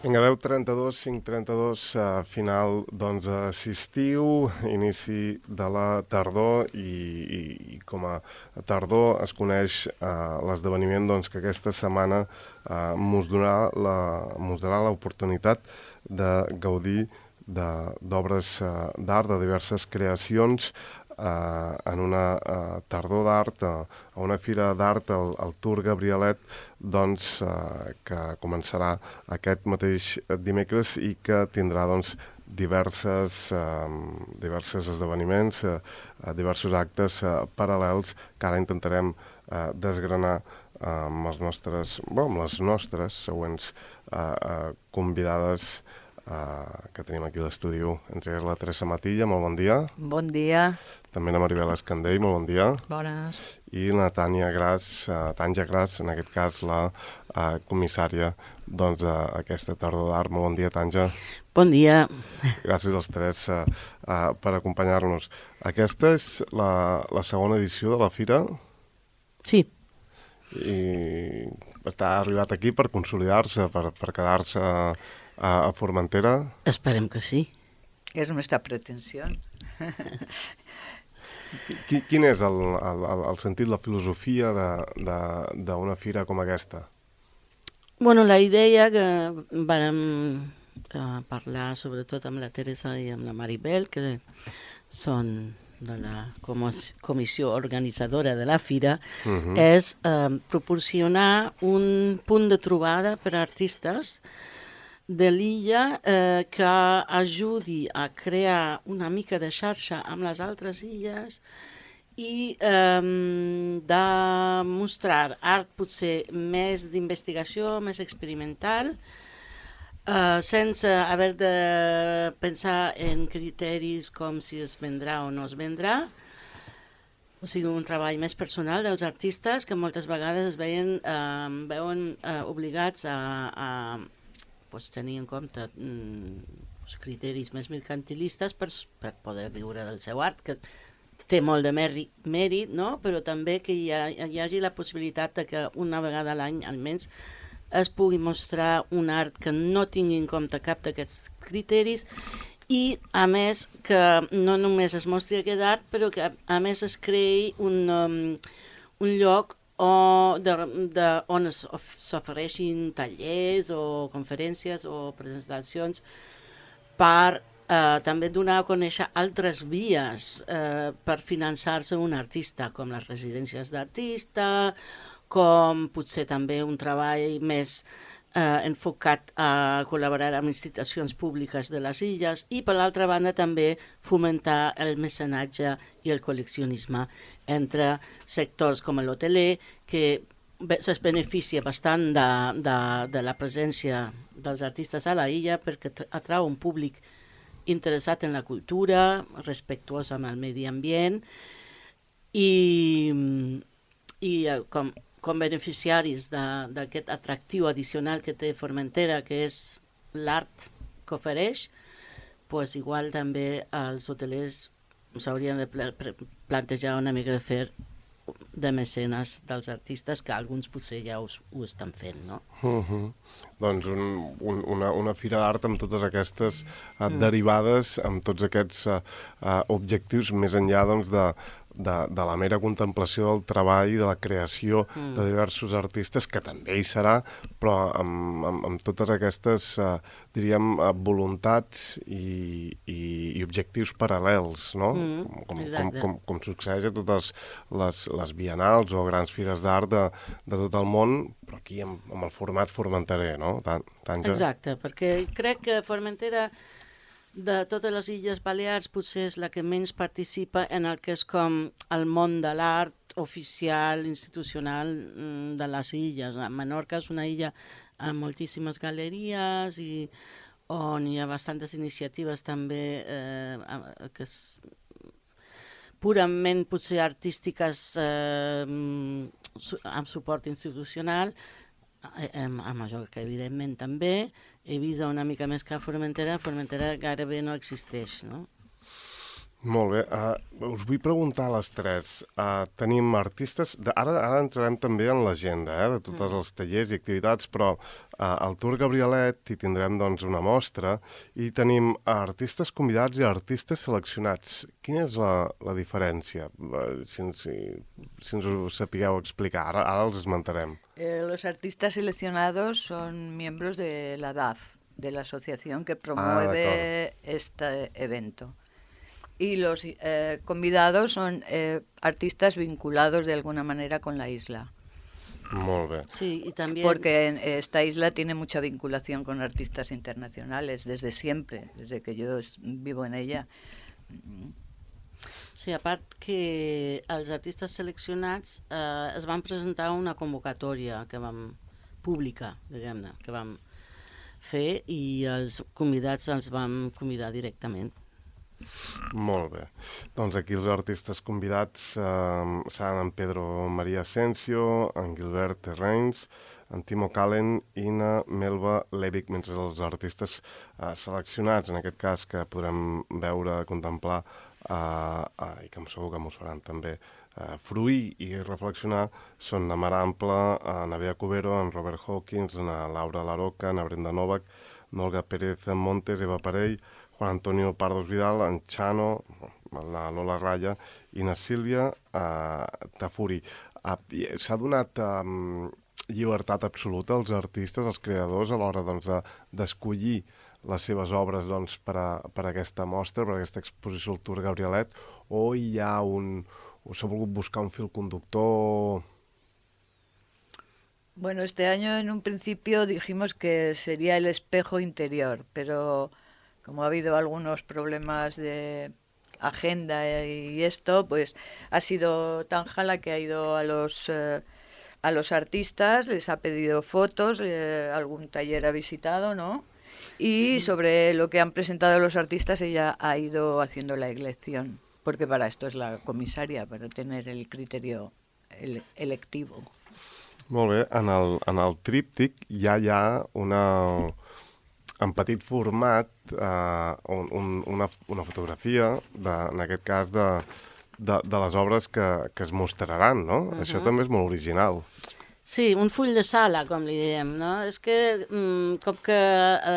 Vinga, 10:32, 5:32, final d'estiu, inici de la tardor i com a tardor es coneix l'esdeveniment que aquesta setmana mos donarà l'oportunitat de gaudir d'obres d'art, de diverses creacions en una tardor d'art, a una fira d'art, el Tour Gabrielet, que començarà aquest mateix dimecres i que tindrà diversos esdeveniments, diversos actes paral·lels que ara intentarem desgranar amb les nostres següents convidades que tenim aquí a l'estudi. Entre elles la Teresa Matilla, molt bon dia. Bon dia. També la Maribel Escandell, molt bon dia. Bones. I la Tània Gras, en aquest cas la comissària d'aquesta tardor d'art. Molt bon dia, Tània. Bon dia. Gràcies als tres per acompanyar-nos. Aquesta és la segona edició de la fira? Sí. I està arribat aquí per consolidar-se, per quedar-se a Formentera? Esperem que sí. És nuestra pretensió. Quin és el sentit, la filosofia d'una fira com aquesta? Bueno, la idea que vàrem parlar sobretot amb la Teresa i amb la Maribel, que són de la comissió organitzadora de la fira, és proporcionar un punt de trobada per a artistes de l'illa que ajudi a crear una mica de xarxa amb les altres illes i de mostrar art potser més d'investigació, més experimental, sense haver de pensar en criteris com si es vendrà o no es vendrà. O sigui, un treball més personal dels artistes que moltes vegades es veuen obligats a tenir en compte criteris més mercantilistes per poder viure del seu art, que té molt de mèrit, no? Però també que hi hagi la possibilitat de que una vegada a l'any almenys es pugui mostrar un art que no tingui en compte cap d'aquests criteris i, a més, que no només es mostri aquest art, però que, a més, es creï un lloc on s'ofereixin tallers o conferències o presentacions per també donar a conèixer altres vies per finançar-se un artista, com les residències d'artista, com potser també un treball més enfocat a col·laborar amb institucions públiques de les illes i, per l'altra banda, també fomentar el mecenatge i el col·leccionisme entre sectors com l'hoteler, que es beneficia bastant de la presència dels artistes a la illa perquè atrau un públic interessat en la cultura, respectuós amb el medi ambient i com beneficiaris d'aquest atractiu addicional que té Formentera, que és l'art que ofereix, igual també els hotelers s'haurien de plantejar una mica de fer de mecenes dels artistes, que alguns potser ja ho estan fent, no? Doncs una fira d'art amb totes aquestes derivades, amb tots aquests objectius més enllà de la mera contemplació del treball, de la creació de diversos artistes, que també hi serà, però amb totes aquestes, diríem, voluntats i objectius paral·lels, no? Com succeeix a totes les bienals o grans fires d'art de tot el món, però aquí amb el format formenterer, no? Tània? Exacte, perquè crec que Formentera, de totes les Illes Balears, potser és la que menys participa en el que és com el món de l'art oficial, institucional de les illes. Menorca és una illa amb moltíssimes galeries i on hi ha bastantes iniciatives també que és purament potser artístiques amb suport institucional, a Mallorca evidentment també, Eivissa una mica més que a Formentera gairebé no existeix, no? Molt bé. Us vull preguntar a les tres. Tenim artistes... Ara entrarem també en l'agenda de tots els tallers i activitats, però al Tour Gabrielet hi tindrem doncs, una mostra i tenim artistes convidats i artistes seleccionats. Quina és la diferència? Si ens ho sapigueu explicar. Ara els esmentarem. Los artistas seleccionados son miembros de la DAF, de la asociación que promueve este evento. Y los convidados son artistas vinculados de alguna manera con la isla. Molt bé. Sí, y también... Porque esta isla tiene mucha vinculación con artistas internacionales desde siempre, desde que yo vivo en ella. Sí, a part que els artistes seleccionats es van presentar una convocatòria que vam publicar, diguem-ne, que vam fer i els convidats els vam convidar directament. Molt bé. Doncs aquí els artistes convidats seran en Pedro María Asensio, en Gilbert Terrains, en Timo Kallen i na Melba Levic, mentre els artistes seleccionats, en aquest cas que podrem veure, contemplar i que segur que mos faran també fruir i reflexionar, són na Mar Ampla, na Bea Cubero, en Robert Hawkins, na Laura Laroca, na Brenda Novak, Olga Pérez Montes, Eva Parell, Juan Antonio Pardos Vidal, en Chano, la Lola Raya i na Sílvia Tafuri. S'ha donat llibertat absoluta als artistes, als creadors, a l'hora d'escollir les seves obres per a aquesta mostra, per a aquesta exposició al Tour Gabrielet, o hi ha o s'ha volgut buscar un fil conductor? Bueno, este año en un principio dijimos que sería el espejo interior, pero como ha habido algunos problemas de agenda y esto, pues ha sido Tanjala que ha ido a los artistas, les ha pedido fotos, algún taller ha visitado, ¿no? Y sobre lo que han presentado los artistas ella ha ido haciendo la elección, porque para esto es la comisaria, para tener el criterio electivo. Molt bé, en el tríptic ja hi ha en petit format una fotografia, en aquest cas, de les obres que es mostraran, no? Això també és molt original. Sí, un full de sala, com li diem, no? És que, com que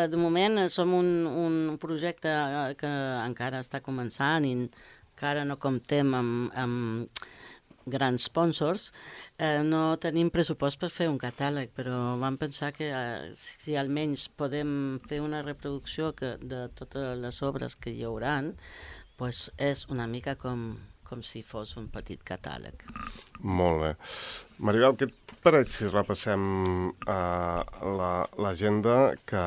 de moment som un projecte que encara està començant i encara no comptem amb grans sponsors, no tenim pressupost per fer un catàleg, però vam pensar que si almenys podem fer una reproducció de totes les obres que hi hauran, doncs és una mica com si fos un petit catàleg. Molt bé. Maribel, què et pareix si repassem l'agenda que,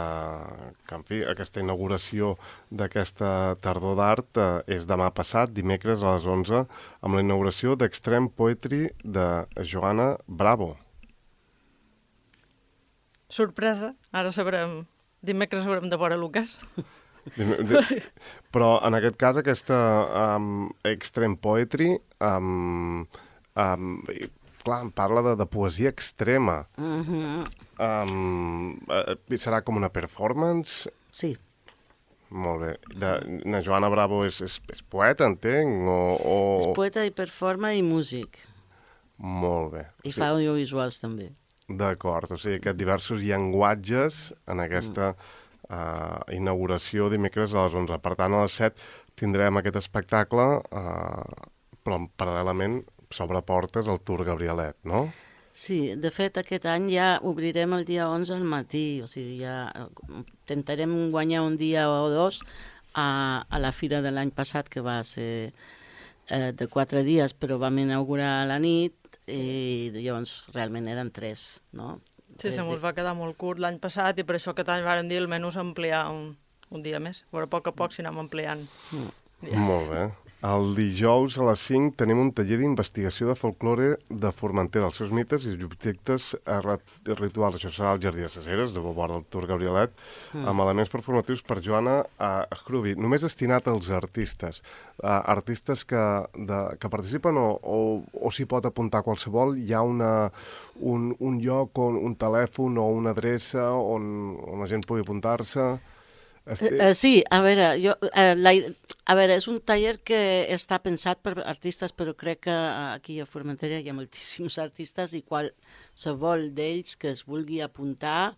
en fi, aquesta inauguració d'aquesta tardor d'art és demà passat, dimecres a les 11, amb la inauguració d'Extreme Poetry de Joana Bravo. Sorpresa, ara sabrem, dimecres haurem de veure Lucas. Però en aquest cas aquesta Extreme Poetry clar, parla de poesia extrema. Serà com una performance? Sí. Molt bé. Na Joana Bravo és poeta, entenc? És poeta i performer i músic. Molt bé. I fa audiovisuals també. D'acord, o sigui que diversos llenguatges en aquesta inauguració dimecres a les 11. Per tant, a les 7 tindrem aquest espectacle, però paral·lelament s'obre portes al Tour Gabrielet, no? Sí, de fet aquest any ja obrirem el dia 11 al matí, o sigui, ja intentarem guanyar un dia o dos a la fira de l'any passat, que va ser de 4 dies, però vam inaugurar a la nit i llavors realment eren 3, no? Sí, se mos va quedar molt curt l'any passat i per això aquest any vàrem dir almenys ampliar un dia més. Però a poc s'hi anem ampliant. Molt bé. El dijous a les 5 tenim un taller d'investigació de folklore de Formentera, els seus mites i objectes rituals. Això serà al Jardí de Caceres, de vora del Tour Gabrielet, amb elements performatius per Joana Hrubi, només destinat als artistes. Artistes que participen o s'hi pot apuntar qualsevol. Hi ha un lloc, un telèfon o una adreça on la gent pugui apuntar-se. Sí, a veure, és un taller que està pensat per artistes, però crec que aquí a Formentera hi ha moltíssims artistes i qualsevol d'ells que es vulgui apuntar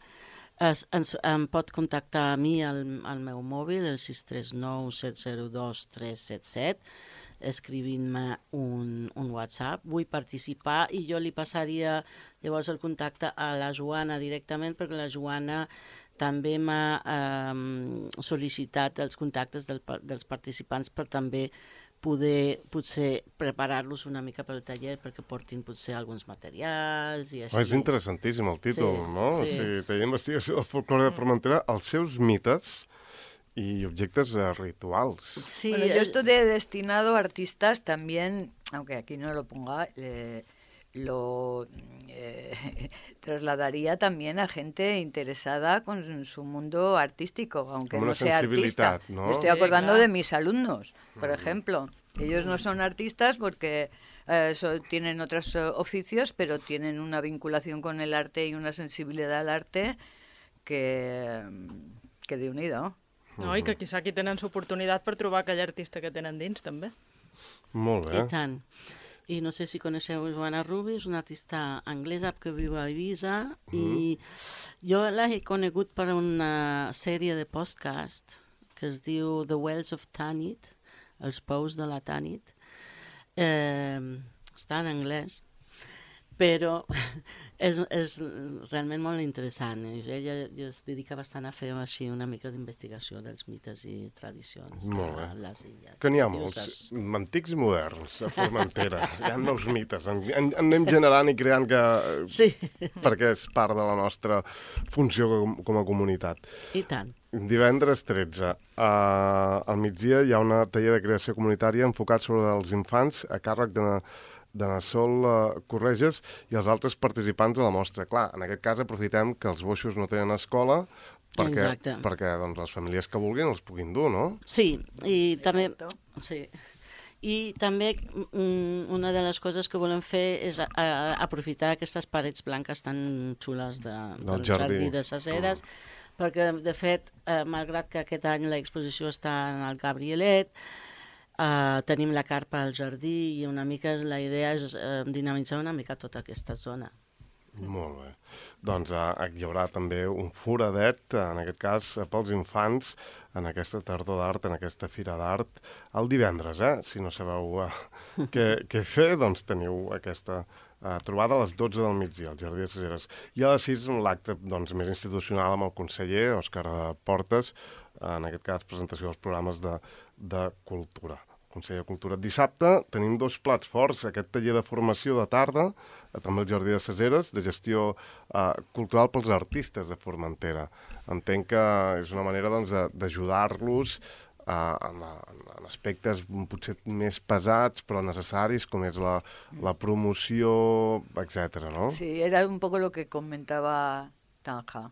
em pot contactar a mi al meu mòbil, el 639-702-377, escrivint-me un WhatsApp. Vull participar i jo li passaria llavors el contacte a la Joana directament, perquè la Joana també m'ha sol·licitat els contactes dels participants per també poder potser preparar-los una mica pel taller perquè portin potser alguns materials i així. És interessantíssim el títol, Sí, no? sí. O sigui, taller d'investigació del folclore de Formentera, els seus mites y objectes rituals. Sí, Bueno, yo esto de destinado a artistas también, aunque aquí no lo ponga, lo trasladaría también a gente interesada con su mundo artístico, aunque Como una no sea artista. sensibilidad, ¿no? Me estoy Sí, acordando claro. de mis alumnos, por ejemplo. Ellos no son artistas porque tienen otros oficios, pero tienen una vinculación con el arte y una sensibilidad al arte que Déu-n'hi-do. No, i que quizá aquí tenen l'oportunitat per trobar aquell artista que tenen dins, també. Molt bé. I tant. I no sé si coneixeu Joana Rubi, és una artista anglesa que viu a Ibiza i jo l'he conegut per una sèrie de podcast que es diu The Wells of Tanit, els pous de la Tanit. Està en anglès, però és realment molt interessant. Ella es dedica bastant a fer així una mica d'investigació dels mites i tradicions Molt bé. de les illes. Que n'hi ha Dius, molts, antics i moderns, a Formentera. Hi ha nous mites. En anem generant i creant Sí, perquè és part de la nostra funció com a comunitat. i tant. Divendres 13, al migdia hi ha un taller de creació comunitària enfocat sobre els infants a càrrec de Nassol Correges i els altres participants de la mostra. Clar, en aquest cas aprofitem que els boixos no tenen escola Exacte. perquè doncs, les famílies que vulguin els puguin dur, no? Sí, i també... Exacto. Sí. I també una de les coses que volem fer és aprofitar aquestes parets blanques tan xules del jardí de ses Eres, perquè, de fet, malgrat que aquest any l'exposició està en el Gabrielet, tenim la carpa al jardí i una mica la idea és dinamitzar una mica tota aquesta zona. Molt bé. Doncs hi haurà també un foradet, en aquest cas, pels infants, en aquesta tardor d'art, en aquesta fira d'art, el divendres, Si no sabeu què fer, doncs teniu aquesta trobada a les 12 del migdia, al Jardí de ses Eres. I a les 6, l'acte doncs, més institucional amb el conseller Òscar Portes, en aquest cas, presentació dels programes de cultura. Consell de Cultura. Dissabte tenim 2 plats forts, aquest taller de formació de tarda, també al Jardí de ses Eres, de gestió cultural pels artistes de Formentera. Entenc que és una manera doncs, d'ajudar-los en aspectes potser més pesats però necessaris, com és la promoció, etc. ¿no? Sí, era un poco lo que comentaba Tanja,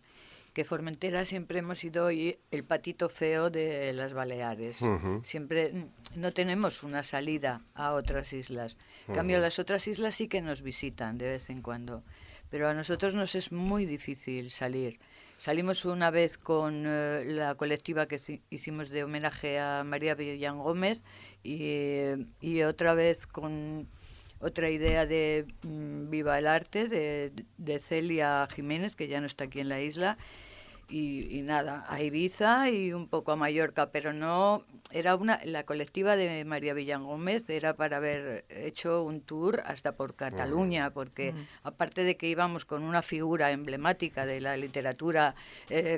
que Formentera siempre hemos sido el patito feo de las Baleares. Siempre no tenemos una salida a otras islas. En cambio, las otras islas sí que nos visitan de vez en cuando. Pero a nosotros nos es muy difícil salir. Salimos una vez con la colectiva que hicimos de homenaje a María Villán Gómez y otra vez con otra idea de Viva el Arte de Celia Jiménez, que ya no está aquí en la isla. Y nada, a Ibiza y un poco a Mallorca, pero no, la colectiva de María Villán Gómez era para haber hecho un tour hasta por Cataluña, porque aparte de que íbamos con una figura emblemática de la literatura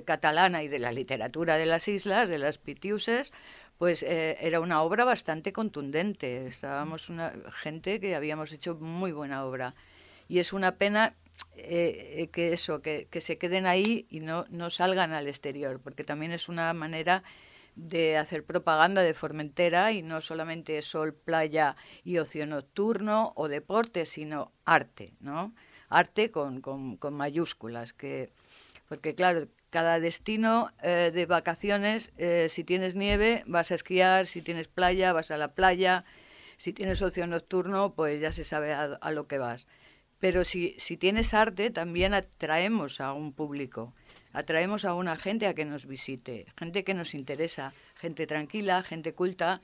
catalana y de la literatura de las islas, de las Pitiuses, pues era una obra bastante contundente. Estábamos gente que habíamos hecho muy buena obra. Y es una pena que se queden ahí y no salgan al exterior, porque también es una manera de hacer propaganda de Formentera y no solamente sol, playa y ocio nocturno o deporte, sino arte, ¿no? Arte con mayúsculas, porque claro, cada destino de vacaciones, si tienes nieve vas a esquiar, si tienes playa vas a la playa, si tienes ocio nocturno pues ya se sabe a lo que vas. Pero si tienes arte, también atraemos a un público. atraemos a una gente a que nos visite, gente que nos interesa, gente tranquila, gente culta.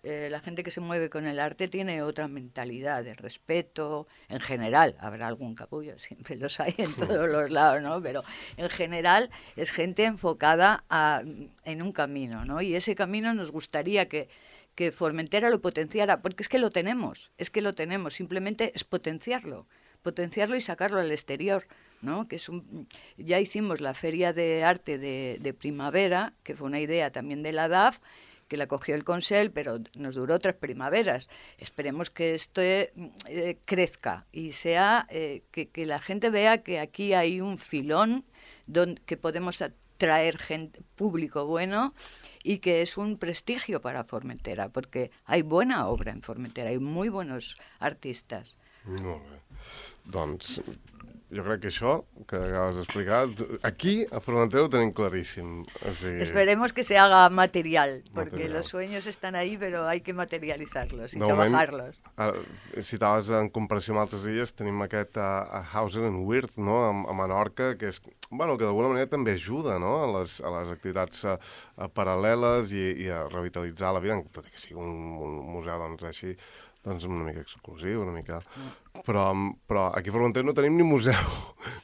La gente que se mueve con el arte tiene otra mentalidad de respeto, en general, habrá algún capullo, siempre los hay en todos los lados, ¿no? Pero en general es gente enfocada en un camino, ¿no? Y ese camino nos gustaría que Formentera lo potenciara, porque es que lo tenemos, simplemente es potenciarlo y sacarlo al exterior, ¿no? Que ya hicimos la Feria de Arte de Primavera, que fue una idea también de la DAF, que la cogió el Consell, pero nos duró 3 primaveras. Esperemos que esto crezca y sea que la gente vea que aquí hay un filón que podemos atraer público bueno y que es un prestigio para Formentera, porque hay buena obra en Formentera, hay muy buenos artistas. Molt bé. Doncs jo crec que això que acabes d'explicar, aquí a Formentera ho tenim claríssim. O sigui... Esperemos que se haga material, porque los sueños están ahí, pero hay que materializarlos y trabajarlos. Citaves en comparació amb altres illes, tenim aquest a Hauser and Wirth, no? A Menorca, que és, bueno, que d'alguna manera també ajuda, no? a les activitats paral·leles i a revitalitzar la vida, tot i que sigui un museu doncs, així, doncs una mica exclusiu, una mica... Però aquí a Formentera no tenim ni museu.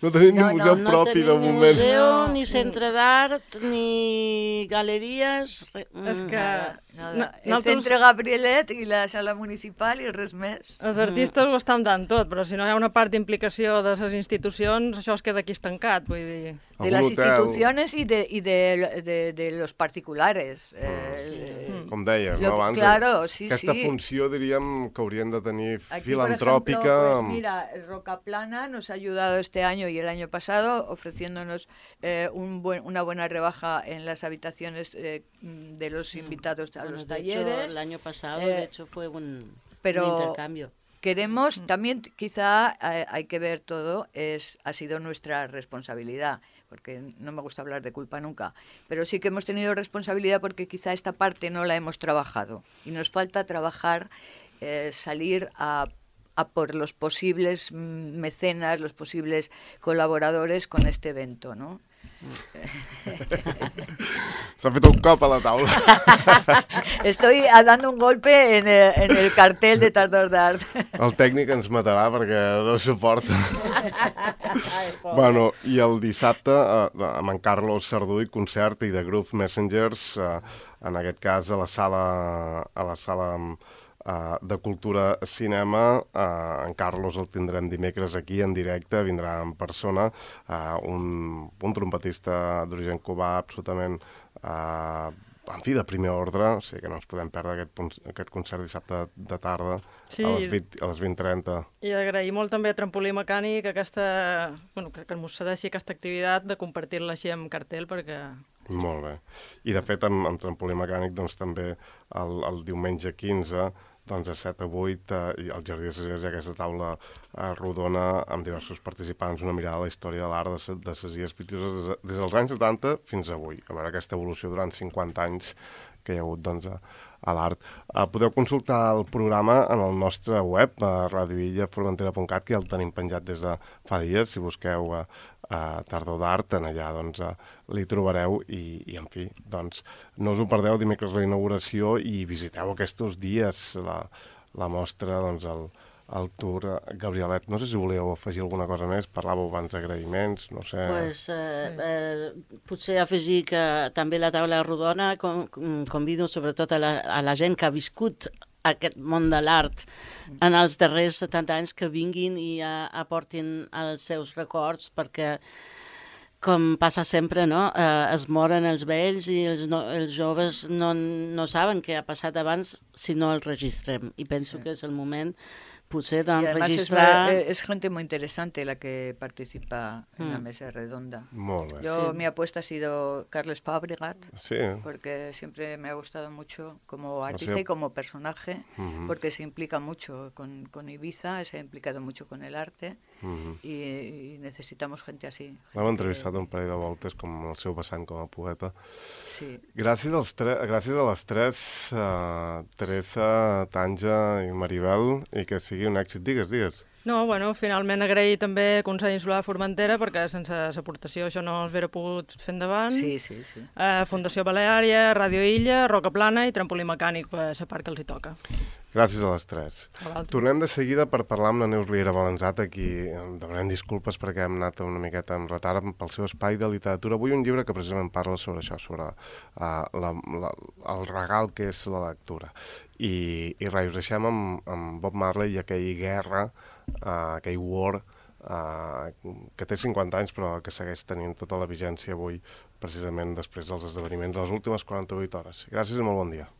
No tenim ni museu propi de moment. No tenim ni museu, ni centre d'art, ni galeries... És que... El centre Gabrielet i la sala municipal i res més. Els artistes ho estan dant tot, però si no hi ha una part d'implicació de les institucions, això es queda aquí estancat, vull dir... De las instituciones y de los particulares. Com deies, no? Abans, claro, sí, aquesta funció, diríem, que haurien de tenir filantrópica. Por ejemplo, pues mira, Rocaplana nos ha ayudado este año y el año pasado ofreciéndonos una buena rebaja en las habitaciones de los invitados a los talleres. El año pasado, de hecho, fue un intercambio. Queremos, también quizá hay que ver todo, ha sido nuestra responsabilidad, porque no me gusta hablar de culpa nunca, pero sí que hemos tenido responsabilidad porque quizá esta parte no la hemos trabajado y nos falta trabajar, salir a por los posibles mecenas, los posibles colaboradores con este evento, ¿no? S'ha fet un cop a la taula. Estoy dando un golpe en el cartel de Tardor d'Art. El tècnic ens matarà perquè no suporta. Bueno, i el dissabte amb en Carlos Sarduy, concert i de Groove Messengers, en aquest cas a la sala de Cultura Cinema. En Carlos el tindrem dimecres aquí en directe, vindrà en persona, un trompetista d'origen cubà absolutament en fi, de primer ordre, o sigui que no ens podem perdre aquest concert dissabte de tarda a les 20:30. I agrair molt també a Trampolí Mecànic que ens cedeixi aquesta activitat de compartir-la així amb cartell, perquè... Molt bé. I de fet amb Trampolí Mecànic doncs també el diumenge 15 doncs a 7 a 8 i al Jardí de Ses Illes hi ha aquesta taula rodona amb diversos participants, una mirada a la història de l'art de Ses Illes Pitiüses des dels anys 70 fins avui. A veure aquesta evolució durant 50 anys que hi ha hagut doncs, a l'art. Podeu consultar el programa en el nostre web, a radioillaformentera.cat, que ja el tenim penjat des de fa dies. Si busqueu Tardor d'Art, en allà doncs, li trobareu i en fi, doncs, no us ho perdeu dimecres la inauguració i visiteu aquests dies la mostra, doncs, el tour. Gabrielet, no sé si voleu afegir alguna cosa més, parlàveu abans d'agraïments, no sé... Potser afegir que també la taula rodona convido sobretot a la gent que ha viscut aquest món de l'art en els darrers 70 anys, que vinguin i aportin els seus records, perquè com passa sempre, no? Es moren els vells i els joves no saben què ha passat abans si no els registrem, i penso que és el moment potser d'enregistrar... Es gente muy interesante la que participa en la mesa redonda. Molt bé. Mi apuesta ha sido Carles Fabregat, sí, porque siempre me ha gustado mucho como artista y como personaje, porque se implica mucho con Ibiza, se ha implicado mucho con el arte, y necesitamos gente así. L'hem entrevistat un parell de voltes com el seu vessant com a poeta. Sí. Gràcies a les tres, Teresa, Tanja i Maribel, i que sigui un èxit. Digues. No, bueno, finalment agrair també a Consell Insular de Formentera, perquè sense l'aportació això no s'hauria pogut fer endavant. Sí. Fundació Baleària, Ràdio Illa, Roca Plana i Trampolí Mecànic per la part que els hi toca. Gràcies a les tres. Tornem de seguida per parlar amb la Neus Riera Balanzat, a qui demanem disculpes perquè hem anat una miqueta en retard pel seu espai de literatura. Avui un llibre que precisament parla sobre això, sobre el regal que és la lectura. I res, us deixem amb Bob Marley i aquell guerra, aquell war, que té 50 anys però que segueix tenint tota la vigència avui, precisament després dels esdeveniments de les últimes 48 hores. Gràcies i molt bon dia.